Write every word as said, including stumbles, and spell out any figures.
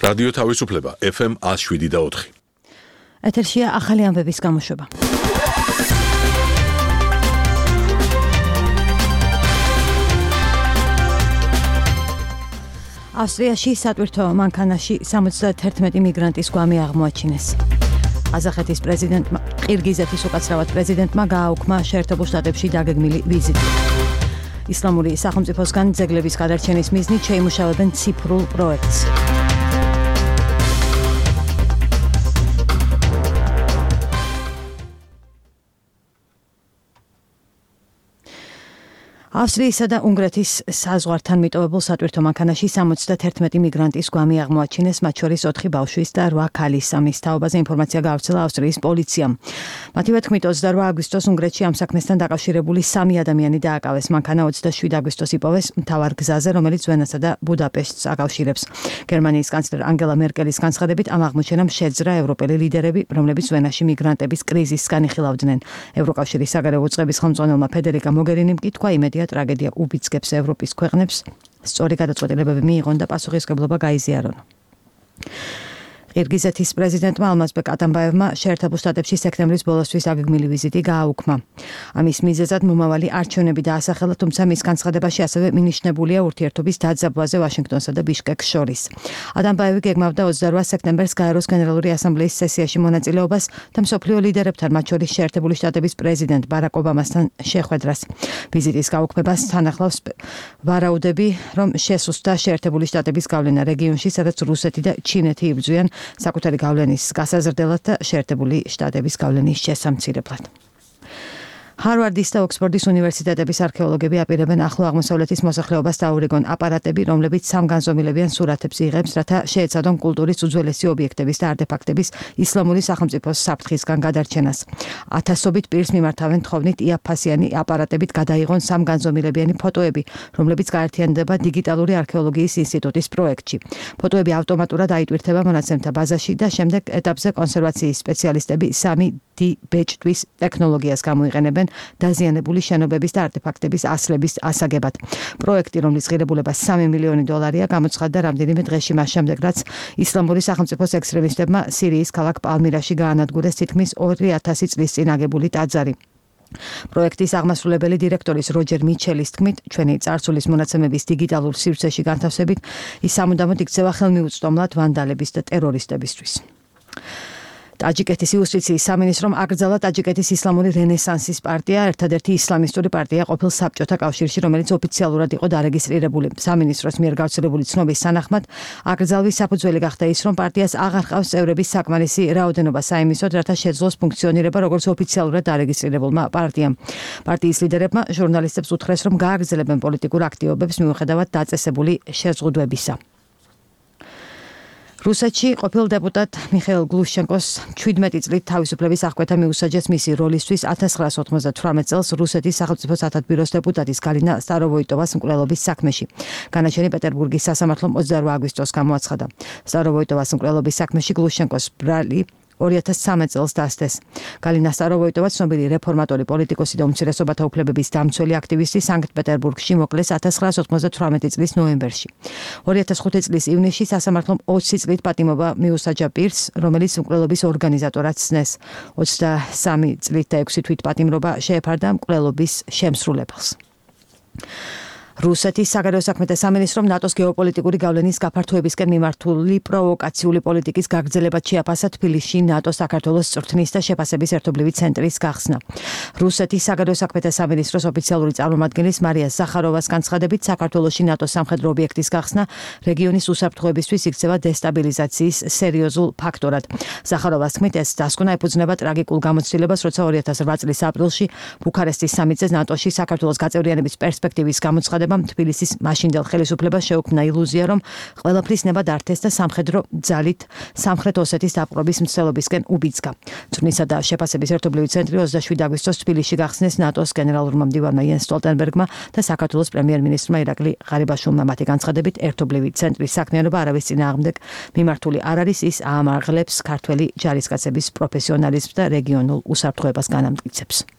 რადიო თავისუფლება ეფ ემ ათს შვიდი და ოთხი. ეთერშია ახალი ამბების გამოშვება. ავსტრიაში სატვირთო მანქანაში სამოცდაათერთმეტი მიგრანტის გვამი აღმოაჩინეს. ყაზახეთის პრეზიდენტმა ყირგიზეთის უკაცრავად პრეზიდენტმა გააუქმა შეერთებულ შტატებში დაგეგმილი ვიზიტი. ისლამური სახელმწიფოსგან ძეგლების გადარჩენის მიზნით შეიმუშავებენ ციფრულ პროექტს. ავსტრიისა და უნგრეთის საზღვართან მიტოვებულ სატვირთო მანქანაში სამოცდაათერთმეტი მიგრანტის გვამი აღმოაჩინეს, მათ შორის ოთხი ბავშვის და რვა ქალის. ამის თაობაზე ინფორმაცია გაავრცელა ავსტრიის პოლიციამ. მათივე თქმით, ოცდარვა აგვისტოს უნგრეთში ამ საქმესთან დაკავშირებული სამი ადამიანი დააკავეს. მანქანა ოცდაშვიდ აგვისტოს იპოვეს მთავარ გზაზე, რომელიც ვენასა და ბუდაპეშტს აკავშირებს. გერმანიის კანცლერ ანგელა მერკელის განცხადებით, ამ აღმოჩენამ შეძრა ევროპელი ლიდერები, რომლებიც ვენაში მიგრანტების კრიზისს განიხილავდნენ. ევროკავშირის საგარეო უწყების ხელმძღვანელმა ფედერიკა მოგერინიმ კი თქვა, იმედია ტრაგედია უბიძგებს ევროპის ქვეყნებს, სწორი გადაწყვეტილებები მიიღონ და პასუხისმგებლობა გაიზიარონ. ყირგიზეთის პრეზიდენტმა ალმაზბეკ ატამბაევმა შეერთებულ შტატებში სექტემბრის ბოლოსთვის დაგეგმილი ვიზიტი გააუქმა. ამის მიზეზად მომავალი არჩევნები დაასახელა, თუმცა მის განცხადებაში ასევე მინიშნებულია ურთიერთობის დაძაბვაზე ვაშინგტონსა და ბიშკეკს შორის. ატამბაევი გეგმავდა ოცდარვა სექტემბერს გაეროს გენერალური ასამბლეის სესიაში მონაწილეობას და მსოფლიო ლიდერებთან, მათ შორის შეერთებული შტატების პრეზიდენტ ბარაკ ობამასთან შეხვედრას. ვიზიტის გაუქმებას თან ახლავს ვარაუდები, რომ შესუსტდა შეერთებული შტატების გავლენა რეგიონში, სადაც რუსეთი და ჩინეთი იბრძვიან საკუთარი გავლენის გასაზრდელად და შეერთებული შტატების გავლენის შესამცირებლად. ჰარვარდის და ოქსფორდის უნივერსიტეტების არქეოლოგები აპირებენ ახლო აღმოსავლეთის მოსახლეობას დაურიგონ აპარატები, რომლებიც სამგანზომილებიან სურათებს იღებს, რათა შეეცადონ კულტურის უძველესი ობიექტების და არტეფაქტების ისლამური სახელმწიფოს საფრთხისგან გადარჩენას. ათასობით პირს მიმართავენ თხოვნით იაფფასიანი აპარატებით გადაიღონ სამგანზომილებიანი ფოტოები, რომლებიც გაერთიანდება დიგიტალური არქეოლოგიის ინსტიტუტის პროექტში. ფოტოები ავტომატურად აიტვირთება მონაცემთა ბაზაში და შემდეგ ეტაპზე კონსერვაციის სპეციალისტები სამი დი ბეჭდვის ტექნოლოგიას გამოიყენებენ დაზიანებული შენობების და არტეფაქტების ასლების ასაგებად. პროექტი, რომლის ღირებულება სამი მილიონი დოლარია, გამოცხადდა რამდენიმე დღეში მას შემდეგ, რაც ისლამური სახელმწიფოს ექსტრემისტებმა სირიის ქალაქ პალმირაში გაანადგურეს თითქმის ორი ათასი წლის წინ აგებული ტაძარი. პროექტის აღმასრულებელი დირექტორის როჯერ მიჩელის თქმით, ჩვენი წარსულის მონაცემების დიგიტალურ სივრცეში განთავსებით, ის სამუდამოდ იქცევა ხელმიუწვდომლად ვანდალების და ტერორისტებისთვის. ტაჯიკეთის იუსტიციის სამინისტრომ აკრძალა ტაჯიკეთის ისლამური რენესანსის პარტია, ერთადერთი ისლამისტური პარტია ყოფილ საბჭოთა კავშირში, რომელიც ოფიციალურად იყო დარეგისტრირებული. სამინისტროს მიერ გავრცელებული ცნობის თანახმად, აკრძალვის საფუძველი გახდა ის, რომ პარტიას აღარ ჰყავს წევრების საკმარისი რაოდენობა საიმისოდ, რათა შეძლოს ფუნქციონირება როგორც ოფიციალურად დარეგისტრირებულმა პარტიამ. პარტიის ლიდერებმა ჟურნალისტებს უთხრეს, რომ გააგრძელებენ პოლიტიკურ აქტივობებს მიუხედავად დაწესებული შეზღუდვებისა. რუსეთში ყოფილ დეპუტატ მიხეილ გლუშჩენკოს შვიდმეტი წლით თავისუფლების აღკვეთა მიუსაჯეს მისი როლისთვის ათას ცხრაას ოთხმოცდათვრამეტ წელს რუსეთის სახელმწიფო სათათბიროს დეპუტატის გალინა სტაროვოიტოვას მკვლელობის საქმეში. განაჩენი პეტერბურგის სასამართლომ ოცდარვა აგვისტოს გამოაცხადა. სტაროვოიტოვას მკვლელობის საქმეში გლუშჩენკოს ბრალი ორი ათას ცხრამეტ წელს დასდეს. გალინა სტაროვოიტოვა ცნობილი რეფორმატორი პოლიტიკოსი და უმცირესობათა უფლებების დამცველი აქტივისტი სანქტ-პეტერბურგში მოკლეს ათას ცხრაას ოთხმოცდათვრამეტი წლის ნოემბერში. ორი ათას ხუთი წლის ივნისში სასამართლომ ოცი წლით პატიმობა მიუსაჯა პირს, რომელიც მკვლელობის ორგანიზატორად ცნეს. ოცდასამი წლით და ექვსი თვით პატიმრობა შეეფარდა მკვლელობის შემსრულებელს. რუსეთის საგარეო საქმეთა სამინისტრომ ნატოს გეოპოლიტიკური გავლენის გაფართოებისკენ მიმართული პროვოკაციული პოლიტიკის გაგრძელებად შეაფასა თბილისში ნატოს საქართველოს წვრთნის და შეფასების ერთობლივი ცენტრის გახსნა. რუსეთის საგარეო საქმეთა სამინისტროს ოფიციალური წარმომადგენლის მარია ზახაროვას განცხადებით, საქართველოში ნატოს სამხედრო ობიექტის გახსნა რეგიონის უსაფრთხოებისთვის იქცევა დესტაბილიზაციის სერიოზულ ფაქტორად. ზახაროვას თქმით, ეს დასკვნა ეფუძნება ტრაგიკულ გამოცდილებას, როცა ორი ათას რვა წლის აპრილში ბუქარესტის სამიტზე ნატოში საქართველოს გაწევრიანების პერსპექტივის გამოცხადება თბილისის მაშინდელ ხელისუფლებას შეუქმნა ილუზია, რომ ყველაფრის ნება დართეს და სამხედრო ძალით სამხრეთ ოსეთის დაპყრობის მცდელობისკენ უბიძგა. წვრთნისა და შეფასების ერთობლივი ცენტრი ოცდაშვიდ აგვისტოს თბილისში გახსნეს ნატოს გენერალურმა მდივანმა იენს სტოლტენბერგმა და საქართველოს პრემიერ-მინისტრმა ირაკლი ღარიბაშვილმა. მათი განცხადებით, ერთობლივი ცენტრის საქმიანობა არავის წინააღმდეგ მიმართული არ არის, ის აამაღლებს ქართველი ჯარისკაცების პროფესიონალიზმს და რეგიონულ უსაფრთხოებას განამტკიცებს.